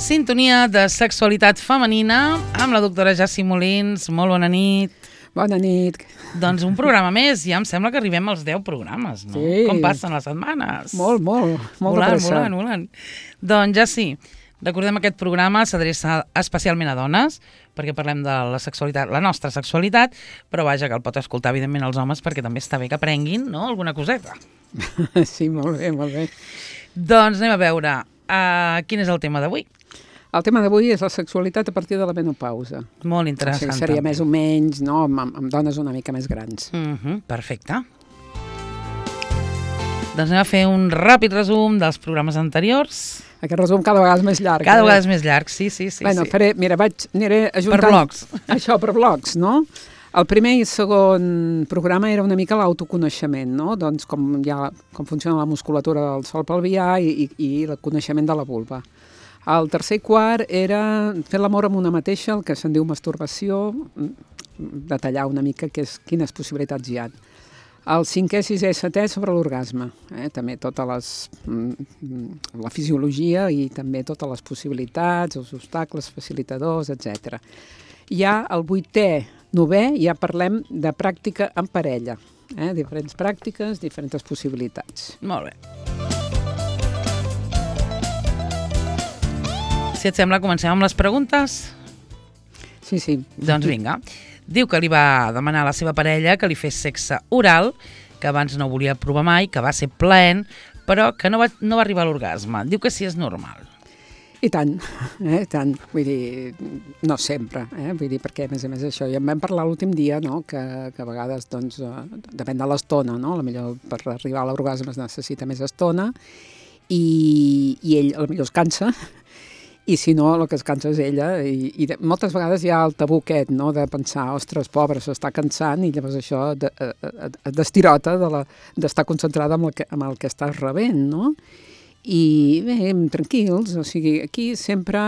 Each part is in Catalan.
Sintonia de sexualitat femenina amb la doctora Jassi Molins. Molt bona nit. Bona nit. Doncs un programa més. Ja em sembla que arribem als 10 programes, no? Sí. Com passen les setmanes? Molt de pressa. Volant. Doncs Jassi, recordem aquest programa s'adreça especialment a dones, perquè parlem de la sexualitat, la nostra sexualitat, però vaja, que el pot escoltar evidentment els homes perquè també està bé que aprenguin, no?, alguna coseta. Sí, molt bé. Doncs anem a veure quin és el tema d'avui. El tema d'avui és la sexualitat a partir de la menopausa. Molt interessant. O sigui, seria més o menys, no?, amb dones una mica més grans. Perfecte. Doncs anem a fer un ràpid resum dels programes anteriors. Aquest resum cada vegada és més llarg. Cada vegada és més llarg, sí. Bueno, aniré ajuntant... Per blocs. Això, per blocs, no? El primer i segon programa era una mica l'autoconeixement, no? Doncs com funciona la musculatura del sòl pelvià i el coneixement de la vulva. El tercer i quart era fer l'amor amb una mateixa, el que se'n diu masturbació, detallar una mica quines possibilitats hi ha. El cinquè, sisè i setè sobre l'orgasme, també tota la fisiologia i també totes les possibilitats, els obstacles, facilitadors, etc. Ja el vuitè, novè, ja parlem de pràctica en parella, diferents pràctiques, diferents possibilitats. Molt bé. Si et sembla, comencem amb les preguntes? Sí. Doncs vinga. Diu que li va demanar a la seva parella que li fes sexe oral, que abans no volia provar mai, que va ser plaent, però que no va arribar a l'orgasme. Diu que sí és normal. I tant, tant. Vull dir, no sempre, vull dir, perquè a més això, ja en vam parlar l'últim dia, no?, que a vegades, doncs, depèn de l'estona, no?, potser per arribar a l'orgasme es necessita més estona, i ell potser es cansa, i si no, el que es cansa és ella, i moltes vegades hi ha el tabú aquest, no?, de pensar, ostres, pobre, s'està cansant, i llavors això d'estirota d'estar concentrada amb el que estàs rebent, no? I bé, tranquils, o sigui, aquí sempre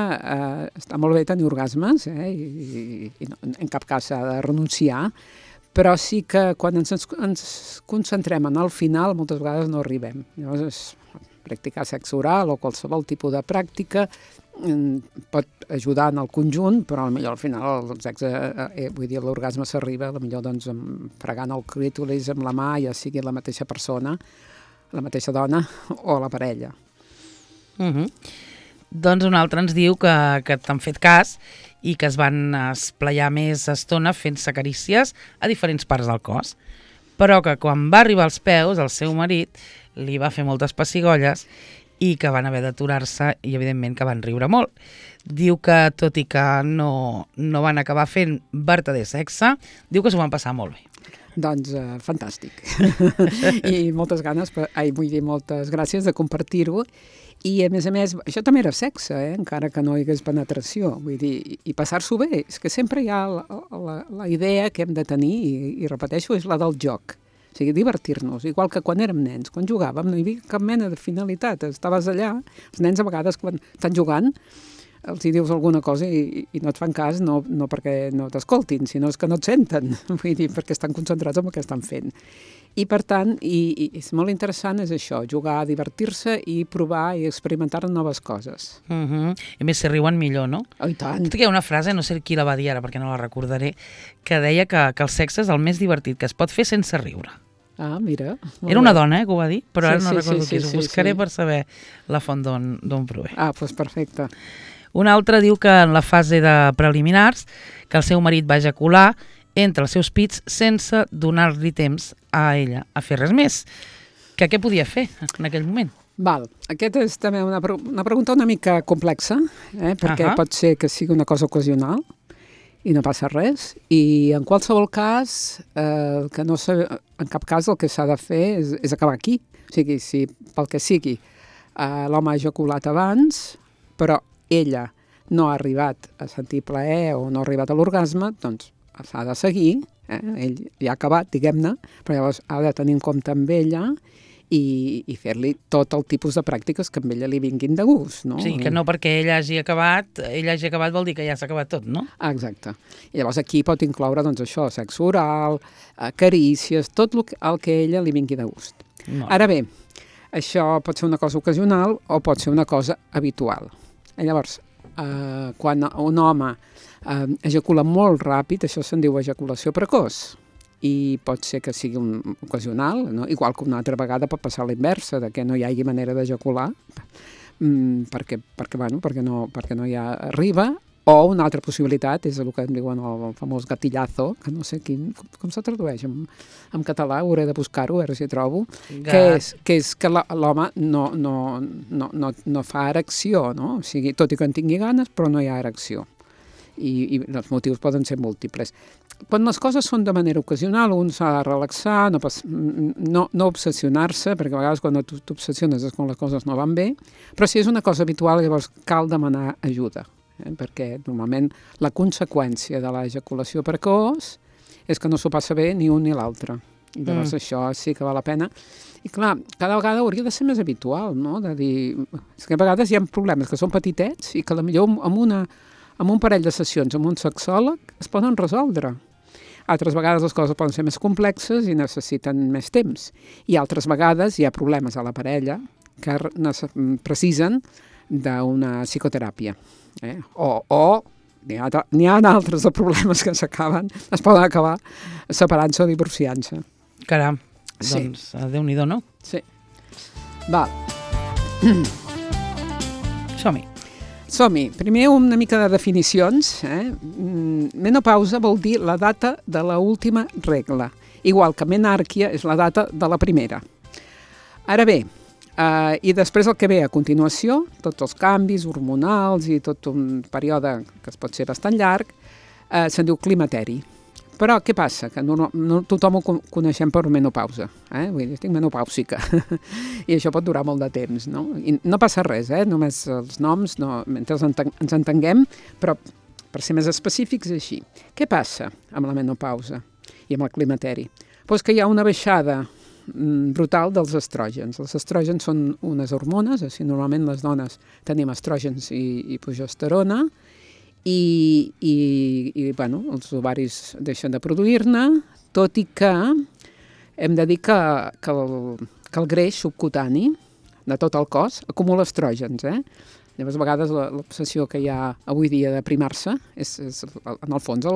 està molt bé tenir orgasmes, i en cap cas s'ha de renunciar, però sí que quan ens concentrem en el final, moltes vegades no arribem. Llavors, practicar sexe oral o qualsevol tipus de pràctica pot ajudar en el conjunt, però potser al final el sexe, vull dir, l'orgasme s'arriba, potser doncs fregant el clítoris amb la mà, ja sigui la mateixa persona, la mateixa dona o la parella. Doncs un altre ens diu que t'han fet cas i que es van esplaiar més estona fent-se carícies a diferents parts del cos, però que quan va arribar als peus, el seu marit li va fer moltes pessigolles i que van haver d'aturar-se i evidentment que van riure molt. Diu que tot i que no van acabar fent vertader sexe, diu que s'ho van passar molt bé. Doncs fantàstic. I moltes gràcies de compartir-ho. I a més, això també era sexe, encara que no hi hagués penetració. Vull dir, i passar-s'ho bé. És que sempre hi ha la idea que hem de tenir, i repeteixo, és la del joc. O sigui, divertir-nos, igual que quan érem nens. Quan jugàvem no hi havia cap mena de finalitat. Estaves allà, els nens a vegades quan estan jugant els hi dius alguna cosa i no et fan cas, no perquè no t'escoltin, sinó que no et senten, vull dir, perquè estan concentrats en el que estan fent. I per tant, i és molt interessant, és això, jugar, divertir-se i provar i experimentar noves coses. I més si riuen millor, no? Oh, i tant. Hi ha una frase, no sé qui la va dir ara perquè no la recordaré, que deia que el sexe és el més divertit que es pot fer sense riure. Ah, mira. Era una dona, que ho va dir, però ara no recordo qui és. Ho buscaré per saber la font d'on prové. Ah, doncs perfecte. Un altre diu que en la fase de preliminars que el seu marit va ejacular entre els seus pits sense donar-li temps a ella a fer res més. Que què podia fer en aquell moment? Val. Aquesta és també una pregunta una mica complexa, perquè pot ser que sigui una cosa ocasional i no passa res. I en qualsevol cas, en cap cas el que s'ha de fer és acabar aquí. O sigui, si pel que sigui l'home ha ejaculat abans, però ella no ha arribat a sentir plaer o no ha arribat a l'orgasme, doncs s'ha de seguir, ell ja ha acabat, diguem-ne, però llavors ha de tenir en compte amb ella i fer-li tot el tipus de pràctiques que amb ella li vinguin de gust, no? Sí, que no perquè ella hagi acabat vol dir que ja s'ha acabat tot, no? Exacte. I llavors aquí pot incloure, doncs això, sexe oral, carícies, tot el que a ella li vingui de gust. Ara bé, això pot ser una cosa ocasional o pot ser una cosa habitual. Llavors, quan un home ejacula molt ràpid, això se'n diu ejaculació precoç, i pot ser que sigui ocasional, no? Igual que una altra vegada pot passar la inversa, de que no hi hagi manera d'ejacular, perquè no hi ha arriba, o una altra possibilitat és el que em diuen el famós gatillazo, que no sé com se tradueix en català, hauré de buscar-ho, a veure si trobo, que és que l'home no fa erecció, no? O sigui, tot i que en tingui ganes, però no hi ha erecció. I els motius poden ser múltiples. Quan les coses són de manera ocasional, un s'ha de relaxar, no obsessionar-se, perquè a vegades quan t'obsessiones és quan les coses no van bé, però si és una cosa habitual, llavors cal demanar ajuda, perquè normalment la conseqüència de l'ejaculació precoç és que no s'ho passa bé ni un ni l'altre. I llavors això sí que val la pena. I clar, cada vegada hauria de ser més habitual, no? De dir, és que a vegades hi ha problemes que són petitets i que potser amb un parell de sessions amb un sexòleg es poden resoldre. Altres vegades les coses poden ser més complexes i necessiten més temps. I altres vegades hi ha problemes a la parella que precisen d'una psicoteràpia. O n'hi ha altres de problemes que es poden acabar separant-se o divorciant-se. Caram, doncs Déu-n'hi-do, no? Sí. Val. Som-hi. Primer una mica de definicions. Menopausa vol dir la data de l'última regla, igual que menàrquia és la data de la primera. Ara bé, i després el que ve a continuació, tots els canvis hormonals i tot un període que pot ser bastant llarg, se'n diu climateri. Però què passa? Que no tothom ho coneixem per menopausa. Vull dir, estic menopàusica. I això pot durar molt de temps, no? I no passa res, només els noms, mentre ens entenguem, però per ser més específics és així. Què passa amb la menopausa i amb el climateri? Doncs que hi ha una baixada brutal dels estrògens. Els estrògens són unes hormones, així normalment les dones tenim estrògens i progesterona, i els ovaris deixen de produir-ne, tot i que hem de dir que el greix subcutani de tot el cos acumula estrògens. Llavors, a vegades, l'obsessió que hi ha avui dia de primar-se és en el fons,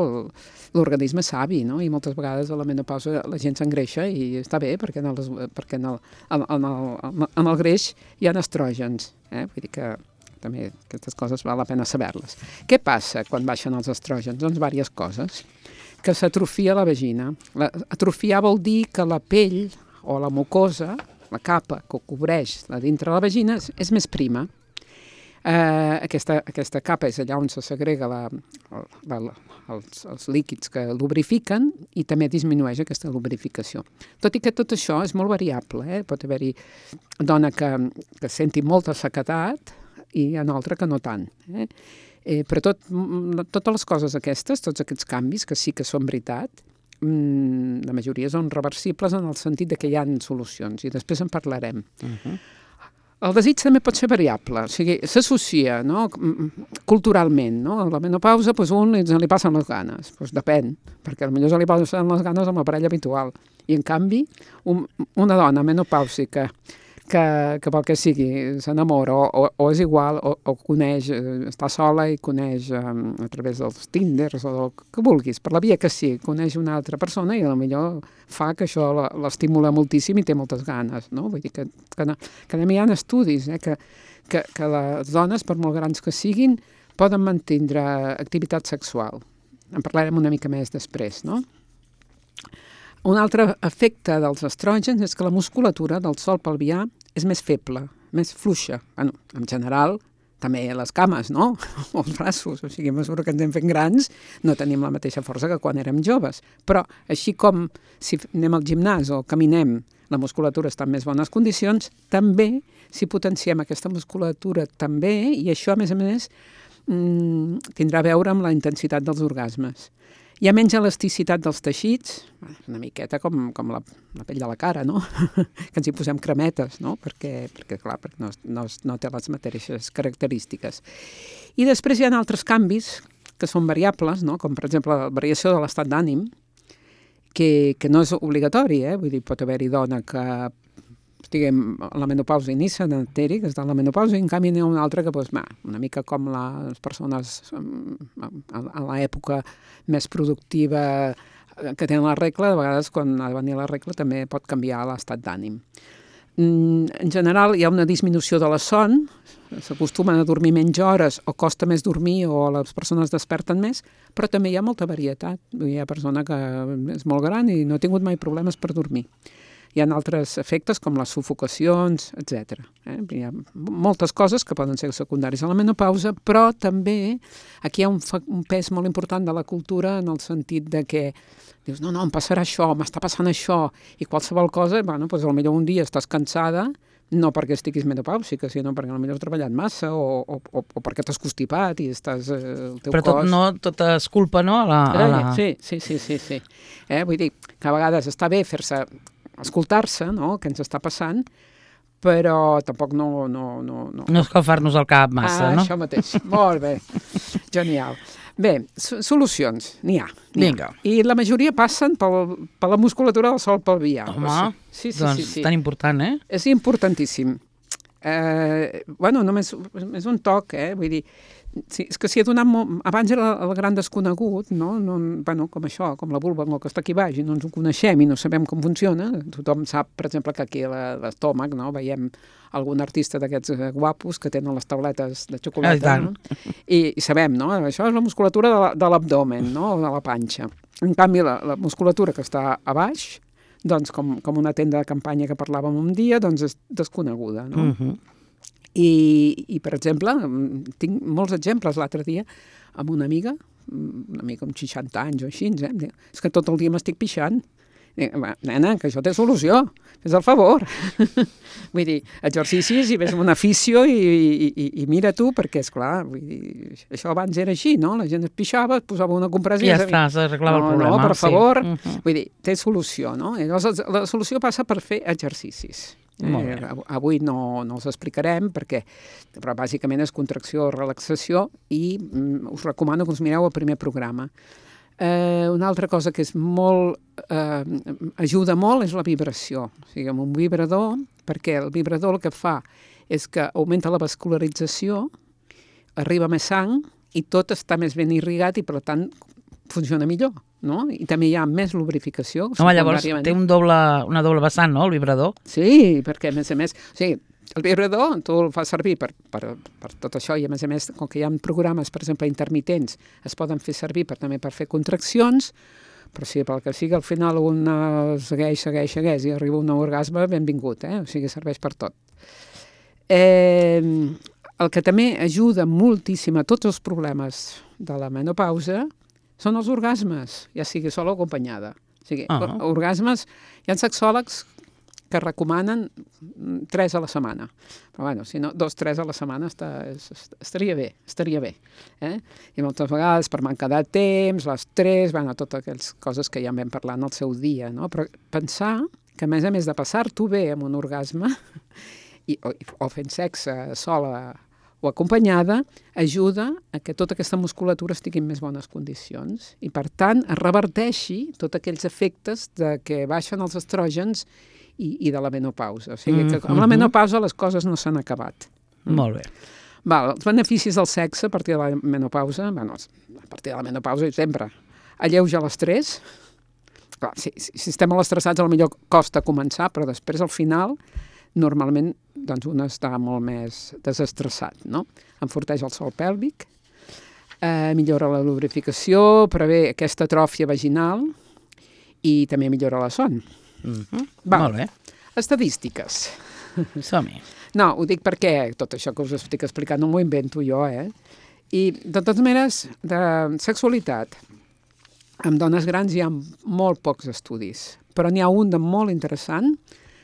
l'organisme savi, no? I moltes vegades a la menopausa la gent s'engreixa i està bé, perquè en el greix hi ha estrògens. Vull dir que també aquestes coses val la pena saber-les. Què passa quan baixen els estrògens? Doncs diverses coses. Que s'atrofia la vagina. Atrofiar vol dir que la pell o la mucosa, la capa que cobreix la dintre de la vagina, és més prima. Aquesta capa és allà on se segrega els líquids que lubrifiquen i també disminueix aquesta lubrificació. Tot i que tot això és molt variable. Pot haver-hi dona que senti molta sequedat i en altra que no tant. Però totes les coses aquestes, tots aquests canvis, que sí que són veritat, la majoria són reversibles en el sentit que hi ha solucions, i després en parlarem. El desig també pot ser variable, o sigui, s'associa, no? Culturalment, no? A la menopausa, un li passen les ganes, depèn, perquè potser se li passen les ganes amb la parella habitual, i en canvi, una dona menopàusica que pel que sigui s'enamora o és igual o coneix, està sola i coneix a través dels Tinders o del que vulguis, per la via que sí, coneix una altra persona i potser fa que això l'estimula moltíssim i té moltes ganes, no? Vull dir que hi ha estudis que les dones, per molt grans que siguin, poden mantenir activitat sexual. En parlarem una mica més després, no? Un altre efecte dels estrògens és que la musculatura del sòl pelvià és més feble, més fluixa. En general, també les cames, no? O els braços, o sigui, a mesura que ens anem fent grans, no tenim la mateixa força que quan érem joves. Però, així com si anem al gimnàs o caminem, la musculatura està en més bones condicions, també, si potenciem aquesta musculatura també, i això, a més, tindrà a veure amb la intensitat dels orgasmes. Hi ha menys elasticitat dels teixits, una miqueta com la pell de la cara, no? Que ens hi posem cremetes, no? Perquè no té les mateixes característiques. I després hi ha altres canvis que són variables, no? Com per exemple la variació de l'estat d'ànim, que no és obligatori, vull dir, pot haver-hi dona que diguem, la menopausa ni sedentari, que està en la menopausa, i en canvi n'hi ha una altra que, doncs, una mica com les persones a l'època més productiva que tenen la regla, de vegades quan ha de venir la regla també pot canviar l'estat d'ànim. En general hi ha una disminució de la son, s'acostumen a dormir menys hores o costa més dormir o les persones desperten més, però també hi ha molta varietat. Hi ha persona que és molt gran i no ha tingut mai problemes per dormir. Hi ha altres efectes com les sufocacions, etc. Hi ha moltes coses que poden ser secundaris a la menopausa, però també aquí hi ha un pes molt important de la cultura en el sentit de que dius, no, em passarà això, m'està passant això, i qualsevol cosa, bueno, doncs potser un dia estàs cansada, no perquè estiguis menopàusica, sinó perquè potser has treballat massa o perquè t'has constipat i estàs... el teu però cos... tot és culpa, no? Sí. Vull dir que a vegades està bé fer-se escoltar-se, no?, què ens està passant, però tampoc no... No escalfar-nos el cap massa, no? Això mateix. Molt bé. Genial. Bé, solucions, n'hi ha. Vinga. I la majoria passen per la musculatura del sòl pelvià. Home, sí. Tan important, eh? És importantíssim. Només un toc, vull dir, sí, és que s'hi ha donat molt... Abans era el gran desconegut, no? Com això, com la vulva, que està aquí baix, i no ens ho coneixem i no sabem com funciona. Tothom sap, per exemple, que aquí a l'estómac, no?, veiem algun artista d'aquests guapos que tenen les tauletes de xocolata, no? I sabem, no?, això és la musculatura de l'abdomen, no?, de la panxa. En canvi, la musculatura que està a baix, doncs, com una tenda de campanya que parlàvem un dia, doncs és desconeguda, no? I, per exemple, tinc molts exemples l'altre dia amb una amiga amb 60 anys o així, és que tot el dia m'estic pixant. Nena, que això té solució, fes el favor. Vull dir, exercicis i vés amb una afició i mira tu, perquè, esclar, vull dir, això abans era així, no? La gent es pixava, es posava una compressa... I ja està, s'arreglava el problema. No, per favor. Vull dir, té solució, no? I llavors la solució passa per fer exercicis. Avui no els explicarem, però bàsicament és contracció o relaxació i us recomano que us mireu el primer programa. Una altra cosa que és ajuda molt és la vibració. O sigui, amb un vibrador, perquè el vibrador el que fa és que augmenta la vascularització, arriba més sang i tot està més ben irrigat i, per tant, funciona millor, no? I també hi ha més lubrificació. Home, llavors té una doble vessant, no?, el vibrador. Sí, perquè a més, o sigui, el vibrador tu el fas servir per tot això i a més, com que hi ha programes, per exemple, intermitents, es poden fer servir també per fer contraccions, però si pel que sigui al final un segueix i arriba un orgasme, benvingut, o sigui, serveix per tot. El que també ajuda moltíssim a tots els problemes de la menopausa són els orgasmes, ja sigui sola o acompanyada. O sigui, orgasmes, hi ha sexòlegs que recomanen 3 a la setmana. Però, bueno, si no, 2-3 a la setmana estaria bé. I moltes vegades, per manca de temps, l'estrès, totes aquelles coses que ja en vam parlar en el seu dia, no? Però pensar que, a més de passar-t'ho bé amb un orgasme, o fent sexe sola o acompanyada, ajuda a que tota aquesta musculatura estigui en més bones condicions i, per tant, es reverteixi tots aquells efectes de que baixen els estrògens i de la menopausa. O sigui, que amb la menopausa les coses no s'han acabat. Molt bé. Els beneficis del sexe a partir de la menopausa, a partir de la menopausa sempre, alleuja l'estrès. Si estem molt estressats, potser costa començar, però després, al final, normalment doncs un està molt més desestressat, no? Enforteix el sòl pèlvic, millora la lubrificació, prevé aquesta atròfia vaginal i també millora la son. Molt bé. Estadístiques. Som-hi. No, ho dic perquè tot això que us estic explicant no m'ho invento jo, I, de totes maneres, de sexualitat, amb dones grans hi ha molt pocs estudis, però n'hi ha un de molt interessant,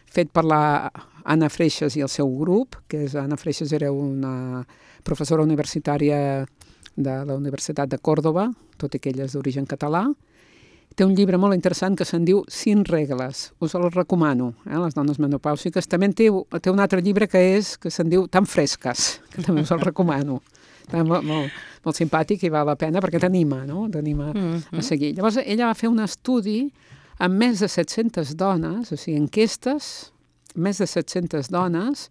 fet per la Anna Freixas i el seu grup, Anna Freixas era una professora universitària de la Universitat de Còrdova, tot i que ella és d'origen català. Té un llibre molt interessant que se'n diu 5 regles. Us el recomano, les dones menopàusiques. També té un altre llibre que se'n diu Tan fresques, que també us el recomano. Molt simpàtic i val la pena perquè t'anima, no? T'anima a seguir. Llavors, ella va fer un estudi amb més de 700 dones, o sigui, enquestes més de 700 dones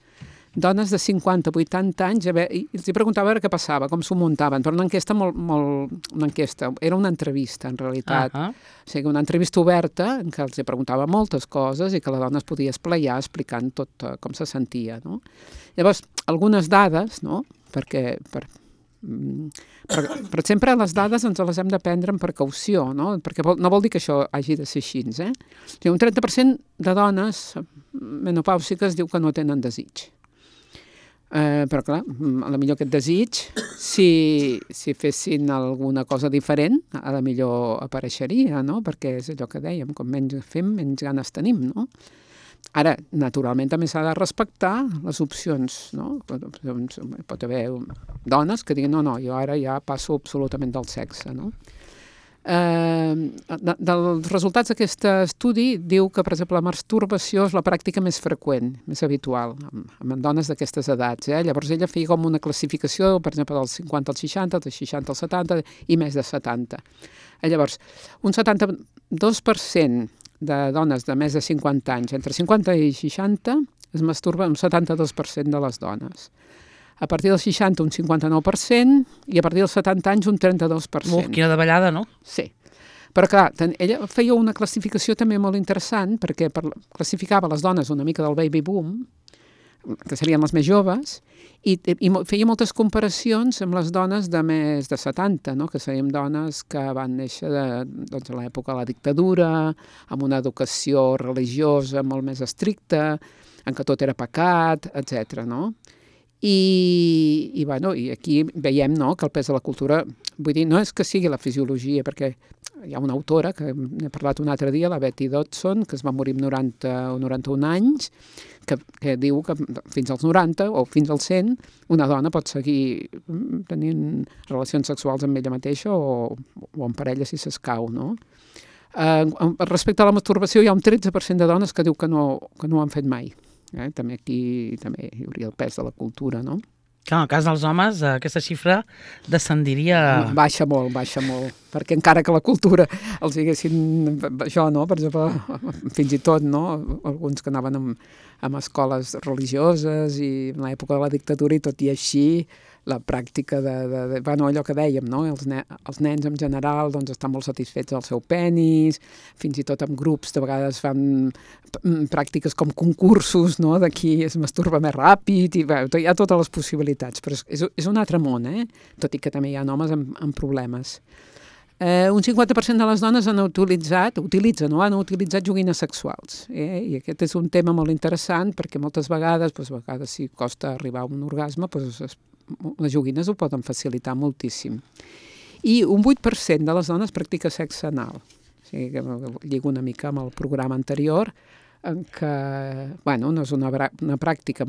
de 50 a 80 anys, i els preguntava a veure què passava, com s'ho muntaven, però una enquesta una enquesta, era una entrevista en realitat, o sigui, una entrevista oberta en què els preguntava moltes coses i que la dona es podia esplaiar explicant tot com se sentia, no? Llavors, algunes dades, no? Perquè sempre les dades ens les hem de prendre amb precaució, no? Perquè no vol dir que això hagi de ser així, eh? O sigui, un 30% de dones menopàusiques diu que no tenen desig. Però clar, a la millor aquest desig, si fessin alguna cosa diferent, a la millor apareixeria, no? Perquè és allò que dèiem, com menys fem, menys ganes tenim, no? Ara, naturalment, també s'ha de respectar les opcions, no? Pot haver dones que diguin, no, jo ara ja passo absolutament del sexe, no? Dels resultats d'aquest estudi diu que, per exemple, la masturbació és la pràctica més freqüent, més habitual, en dones d'aquestes edats. Llavors ella feia com una classificació, per exemple, dels 50 als 60, dels 60 als 70 i més de 70. Llavors, un 72% de dones de més de 50 anys, entre 50 i 60, es masturba un 72% de les dones. A partir dels 60, un 59%, i a partir dels 70 anys, un 32%. Quina davallada, no? Sí. Però, clar, ella feia una classificació també molt interessant, perquè classificava les dones una mica del baby boom, que serien les més joves, i feia moltes comparacions amb les dones de més de 70, no? Que serien dones que van néixer a l'època de la dictadura, amb una educació religiosa molt més estricta, en què tot era pecat, etc. no? I aquí veiem, no, que el pes de la cultura, vull dir, no és que sigui la fisiologia, perquè hi ha una autora, que n'he parlat un altre dia, la Betty Dodson, que es va morir amb 90 o 91 anys, que diu que fins als 90 o fins als 100 una dona pot seguir tenint relacions sexuals amb ella mateixa o en parella si s'escau, no? Respecte a la masturbació hi ha un 13% de dones que diu que no ho han fet mai. També aquí hi hauria el pes de la cultura, no? Clar, en el cas dels homes, aquesta xifra descendiria... Baixa molt, perquè encara que la cultura els diguessin això, no? Per exemple, fins i tot, no? Alguns que anaven a escoles religioses i en l'època de la dictadura i tot i així, la pràctica allò que dèiem, no? Els nens en general estan molt satisfets del seu penis, fins i tot en grups de vegades fan pràctiques com concursos, no? De qui es masturba més ràpid, i hi ha totes les possibilitats, però és un altre món, tot i que també hi ha homes amb problemes. Un 50% de les dones han utilitzat joguines sexuals, i aquest és un tema molt interessant perquè moltes vegades, si costa arribar a un orgasme, les joguines ho poden facilitar moltíssim. I un 8% de les dones practica sexe anal. O sigui, que lligo una mica amb el programa anterior, en què, no és una pràctica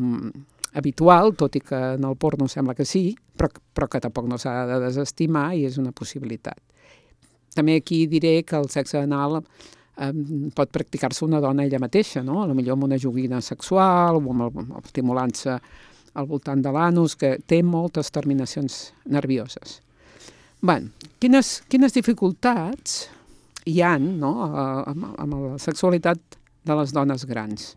habitual, tot i que en el porno sembla que sí, però que tampoc no s'ha de desestimar i és una possibilitat. També aquí diré que el sexe anal pot practicar-se una dona ella mateixa, no? Potser amb una joguina sexual o estimulant-se al voltant de l'anus, que té moltes terminacions nervioses. Quines dificultats hi ha, no?, amb la sexualitat de les dones grans?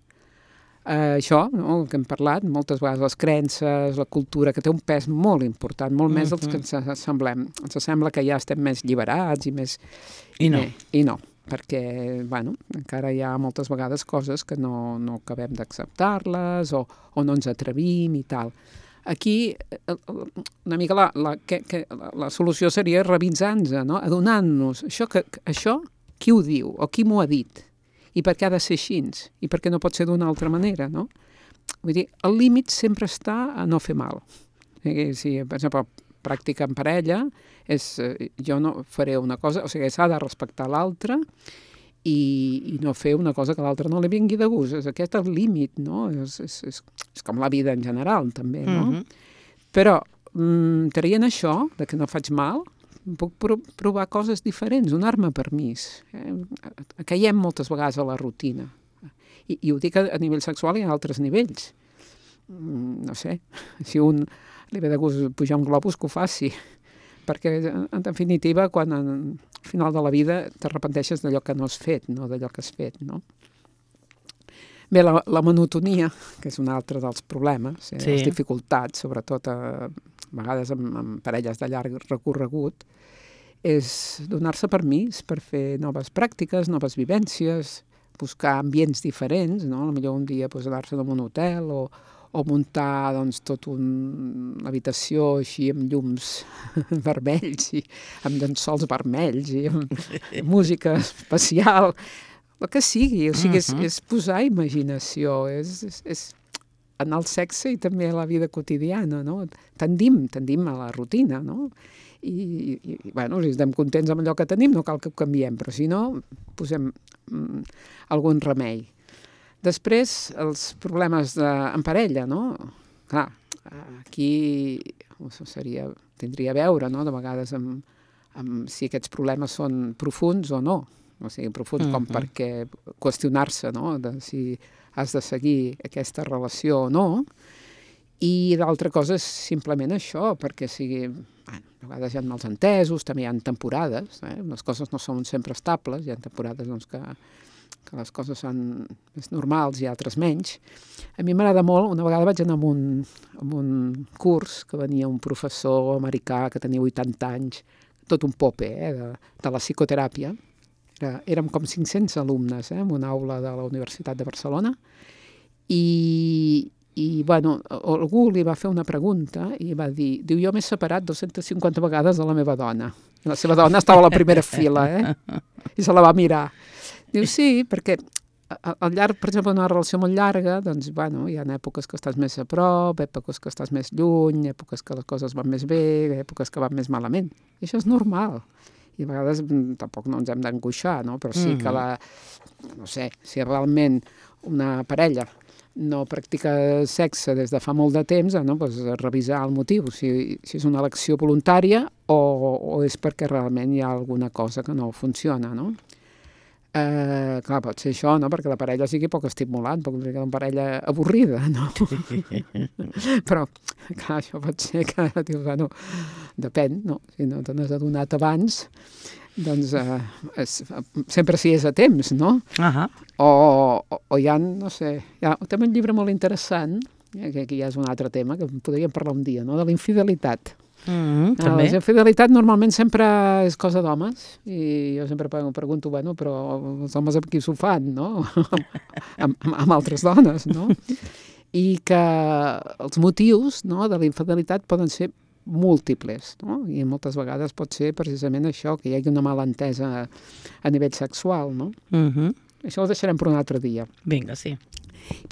Això, no?, que hem parlat, moltes vegades les creences, la cultura, que té un pes molt important, molt més dels que ens semblem. Ens sembla que ja estem més lliberats i més... I no, perquè, encara hi ha moltes vegades coses que no acabem d'acceptar-les o no ens atrevim i tal. Aquí, una mica la solució seria revisar-nos, no?, adonant-nos. Això, qui ho diu o qui m'ho ha dit? I per què ha de ser així? I per què no pot ser d'una altra manera, no? Vull dir, el límit sempre està a no fer mal. Si, per exemple, pràctica en parella, jo no faré una cosa, o sigui, s'ha de respectar l'altre i no fer una cosa que l'altre no li vingui de gust. És aquest el límit, no? És com la vida en general, també, no? Però, traient això, de que no faig mal, puc provar coses diferents, donar-me permís. Caiem moltes vegades a la rutina. I ho dic a nivell sexual i a altres nivells. No sé, si un li ve de gust pujar un globus, que ho faci. Perquè, en definitiva, quan al final de la vida t'arrepenteixes d'allò que no has fet, no d'allò que has fet, no? Bé, la monotonia, que és un altre dels problemes, Sí. les dificultats, sobretot a vegades amb parelles de llarg recorregut, és donar-se permís per fer noves pràctiques, noves vivències, buscar ambients diferents, no? Potser un dia anar-se en un hotel o muntar doncs, una habitació així amb llums vermells i amb llençols vermells i amb música especial, el que sigui. O sigui, és posar imaginació, és en el sexe i també a la vida quotidiana, no? Tendim a la rutina, no? I bueno, si estem contents amb allò que tenim, no cal que ho canviem, però si no, posem algun remei. Després, els problemes en parella, no? Clar, aquí tindria a veure, no?, de vegades amb si aquests problemes són profuns o no. O sigui, profuns com perquè qüestionar-se, no?, de si has de seguir aquesta relació o no. I l'altra cosa és simplement això, perquè sigui... Bueno, a vegades hi ha malentesos, també hi ha temporades, les coses no són sempre estables, hi ha temporades doncs, que les coses són més normals i altres menys. A mi m'agrada molt, una vegada vaig anar a un curs que venia un professor americà que tenia 80 anys, tot un pope, de la psicoteràpia. Érem com 500 alumnes en una aula de la Universitat de Barcelona i bueno, algú li va fer una pregunta i va dir, jo m'he separat 250 vegades de la meva dona. I la seva dona estava a la primera fila, i se la va mirar. Diu, sí, perquè al llarg, per exemple, d'una relació molt llarga, doncs, bueno, hi ha èpoques que estàs més a prop, èpoques que estàs més lluny, èpoques que les coses van més bé, èpoques que van més malament. I això és normal. I a vegades tampoc no ens hem d'angoixar, no? Però sí que no sé, si realment una parella no practica sexe des de fa molt de temps, no? Pues revisar el motiu, si és una elecció voluntària o és perquè realment hi ha alguna cosa que no funciona, no? Clar, pot ser això, no? Perquè la parella sigui poc estimulant, pot ser una parella avorrida, no? Però, clar, això pot ser que, bueno, depèn, no? Si no te n'has adonat abans, doncs sempre si és a temps, no? O hi ha, no sé, hi ha també un llibre molt interessant, que aquí ja és un altre tema, que podríem parlar un dia, no? De la infidelitat. També. La infidelitat normalment sempre és cosa d'homes i jo sempre pregunto, bueno, però els homes amb qui s'ho fan, no? amb altres dones, no? I que els motius, no, de la infidelitat poden ser múltiples, no? I moltes vegades pot ser precisament això, que hi hagi una mala entesa a nivell sexual, no? Això ho deixarem per un altre dia. Vinga, sí.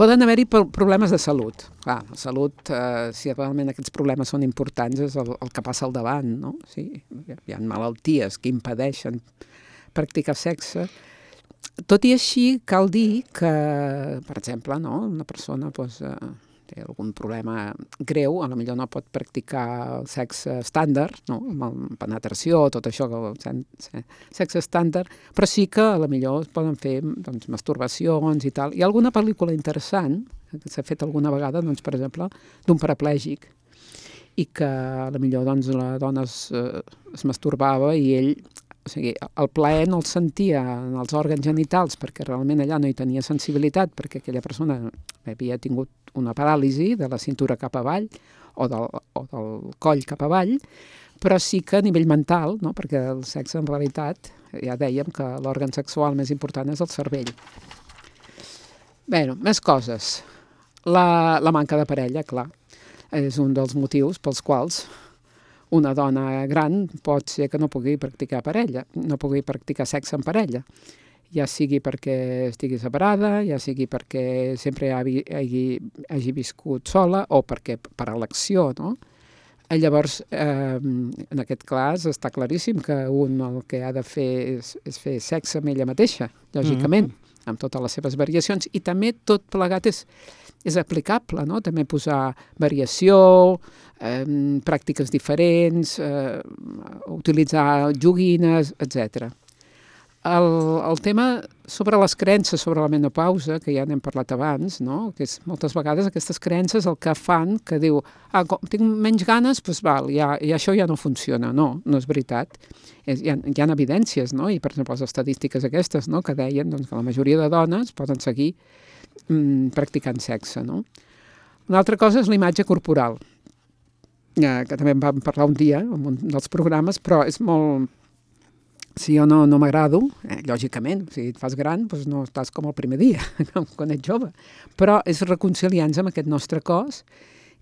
Poden haver-hi problemes de salut. Clar, la salut, si realment aquests problemes són importants, és el que passa al davant, no? Sí, hi ha malalties que impedeixen practicar sexe. Tot i així, cal dir que, per exemple, no, una persona té algun problema greu, potser no pot practicar sexe estàndard, no? Amb penetració, tot això, sexe estàndard, però sí que potser es poden fer doncs, masturbacions i tal. Hi ha alguna pel·lícula interessant, que s'ha fet alguna vegada, doncs, per exemple, d'un paraplègic, i que potser doncs, la dona es masturbava i ell, o sigui, el plaer no el sentia en els òrgans genitals perquè realment allà no hi tenia sensibilitat, perquè aquella persona havia tingut una paràlisi de la cintura cap avall o del coll cap avall, però sí que a nivell mental, no? Perquè el sexe en realitat, ja dèiem que l'òrgan sexual més important és el cervell. Bé, més coses. La manca de parella, clar, és un dels motius pels quals una dona gran pot ser que no pugui practicar sexe en parella, ja sigui perquè estigui separada, ja sigui perquè sempre hagi viscut sola o perquè per elecció, no? Llavors, en aquest cas, està claríssim que el que ha de fer és fer sexe amb ella mateixa, lògicament, amb totes les seves variacions, i també tot plegat és aplicable, no? També posar variació, pràctiques diferents, utilitzar joguines, etc. El tema sobre les creences sobre la menopausa, que ja n'hem parlat abans, no? Que és moltes vegades aquestes creences el que fan que diu, com tinc menys ganes, doncs val, ja això ja no funciona. No és veritat. Hi ha evidències, no? I per exemple les estadístiques aquestes, no? Que deien doncs, que la majoria de dones poden seguir practicant sexe, no? Una altra cosa és la imatge corporal, que també en vam parlar un dia en un dels programes, però és molt... Si jo no m'agrado, lògicament, si et fas gran, doncs no estàs com el primer dia, quan ets jove. Però és reconciliar-nos amb aquest nostre cos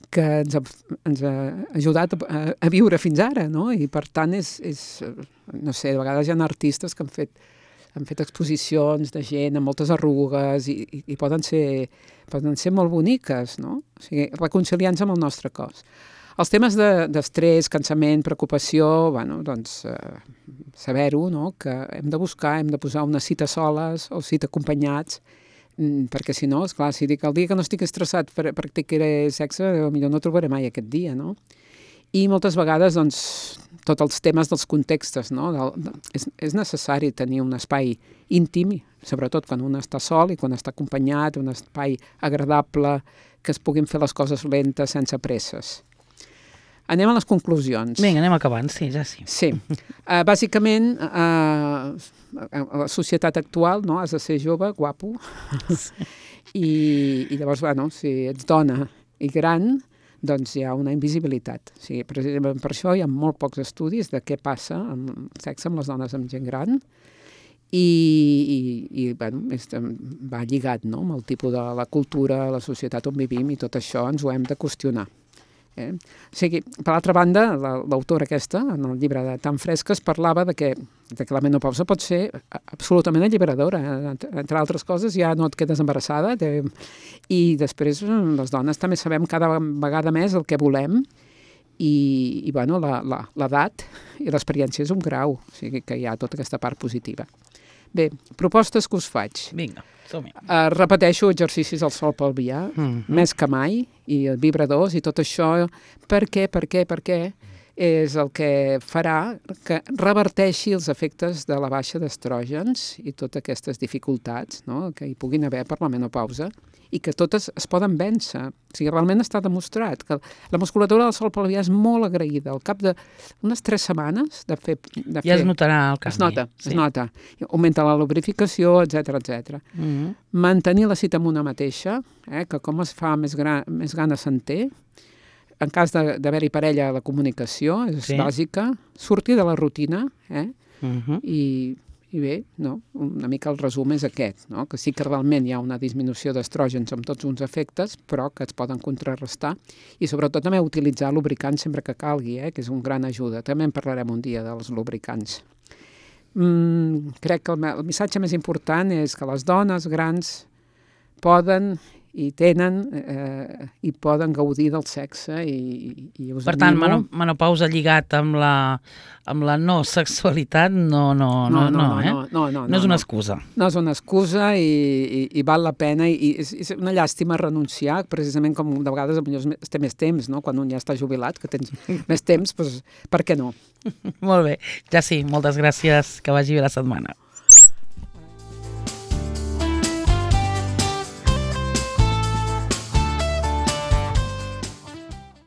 que ens ha ajudat a viure fins ara, no? I per tant no sé, de vegades hi ha artistes que han fet exposicions de gent amb moltes arrugues i poden ser molt boniques, no? O sigui, reconciliar-nos amb el nostre cos. Els temes d'estrès, cansament, preocupació, bueno, doncs saber-ho, no? Que hem de buscar, hem de posar una cita soles o cita acompanyats, perquè si no, esclar, si dic el dia que no estic estressat practicaré sexe, potser no trobaré mai aquest dia, no? I moltes vegades, doncs, tots els temes dels contextos, no? És necessari tenir un espai íntim, sobretot quan un està sol i quan està acompanyat, un espai agradable, que es puguin fer les coses lentes, sense presses. Anem a les conclusions. Vinga, anem acabant, sí, ja sí. Sí. Bàsicament, a la societat actual, no? Has de ser jove, guapo, i llavors, bueno, si ets dona i gran, doncs hi ha una invisibilitat. O sigui, precisament per això hi ha molt pocs estudis de què passa amb sexe amb les dones amb gent gran, i bueno, va lligat, no? Amb el tipus de la cultura, la societat on vivim, i tot això ens ho hem de qüestionar. O sigui, per l'altra banda, l'autora aquesta, en el llibre de Tan Fresques, parlava de que la menopausa pot ser absolutament alliberadora. Entre altres coses, ja no et quedes embarassada, i després les dones també sabem cada vegada més el que volem, i bueno, l'edat i l'experiència és un grau, o sigui que hi ha tota aquesta part positiva. Bé, propostes que us faig. Vinga, som-hi. Repeteixo exercicis al sol pelvià, més que mai, i vibradors i tot això. Per què? És el que farà que reverteixi els efectes de la baixa d'estrògens i totes aquestes dificultats, no?, que hi puguin haver per la menopausa, i que totes es poden vèncer. O sigui, realment està demostrat que la musculatura del sol pelvià és molt agraïda. Al cap d'unes 3 setmanes de fer... Ja es notarà el canvi. Es nota. Augmenta la lubrificació, etc. Mantenir la cita amb una mateixa, que com es fa més gana se'n té. En cas d'haver-hi parella, la comunicació és bàsica. Sortir de la rutina, i bé, no? Una mica el resum és aquest, no? Que sí que realment hi ha una disminució d'estrògens amb tots uns efectes, però que es poden contrarrestar, i sobretot també utilitzar lubricants sempre que calgui, que és un gran ajuda. També en parlarem un dia dels lubricants. Crec que el missatge més important és que les dones grans poden i tenen i poden gaudir del sexe, i us per tant, animo... menopausa lligat amb la no sexualitat no és una excusa. No és una excusa, i val la pena, i és una llàstima renunciar, precisament com de vegades es té més temps, no? Quan un ja està jubilat, que tens més temps, doncs per què no? Molt bé, ja sí, moltes gràcies, que vagi bé la setmana.